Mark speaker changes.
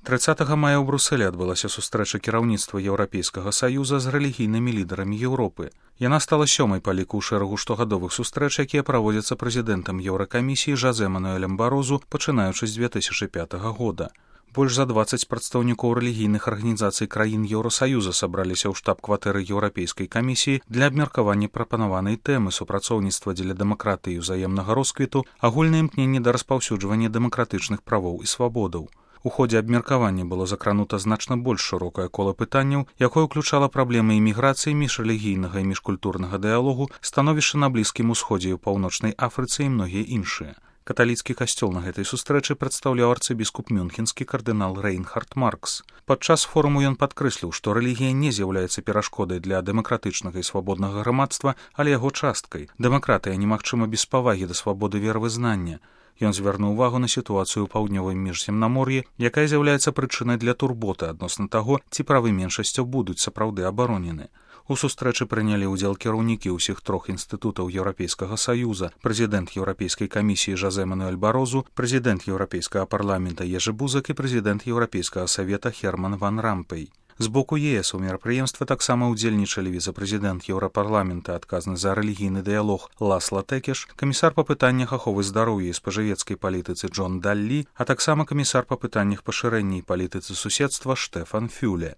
Speaker 1: 30 мая ў Брусэлі адбылася сустрэча кіраўніцтва Еўрапейскага саюза з рэлігійнымі лідарамі Еўропы. Яна стала сёмай па ліку ў шэрагу штогадовых сустрэч, якія праводзяцца прэзідэнтам Еўракамісіі Жозе Мануэлем Барозу, пачынаючы з 2005 года. Больш за 20 прадстаўнікоў рэлігійных арганізацый краін Еўрасаюза сабраліся ў штаб-кватэры Еўрапейскай камісіі для абмеркавання прапанаванай тэмы супрацоўніцтва дзеля дэмакратыі і ўзаемнага росквіту, агульнае імкненне да распаўсюджвання дэмакратычных правоў і свабодаў. У ходзе абмеркавання было закранута значна больш шырокае кола пытанняў, якое ўключала праблемы іміграцыі, міжрэлігійнага і міжкультурнага дыялогу, становішча на Блізкім Усходзе і ў Паўночнай Афрыцы і многія іншыя. Каталіцкі касцёл на гэтай сустрэчы прадстаўляў арцыбіскуп мюнхенскі кардынал Рейнхард Маркс. Падчас форуму ён падкрэсліў, што рэлігія не з'яўляецца перашкодай для дэмакратычнага і свабоднага грамадства, але яго часткай. Дэмакратыя немагчыма без павагі да свабоды веравызнання. Ён звярнуў увагу на сітуацыю ў паўднёвым міжземнамор'і, якая з'яўляецца прычынай для турботы адносна таго, ці правы меншасцяў будуць сапраўды абаронены. У сустрэчы прынялі ўдзел кіраўнікі ўсіх трох інстытутаў Еўрапейскага саюза, прэзідэнт Еўрапейскай камісіі Жозе Мануэль Барозу, прэзідэнт Еўрапейскага парламента Ежы Бузак і прэзідэнт Еўрапейскага савета Герман ван Рампей. З боку ЕС у мерапрыемстве таксама ўдзельнічалі віцэ-прэзідэнт Еўрапарламента, адказны за рэлігійны дыялог Ласла Тэкеш, камісар па пытаннях аховы здароўя і спажывецкай палітыцы Джон Даллі, а таксама камісар па пытаннях пашырэння і палітыцы суседства Штэфан Фюле.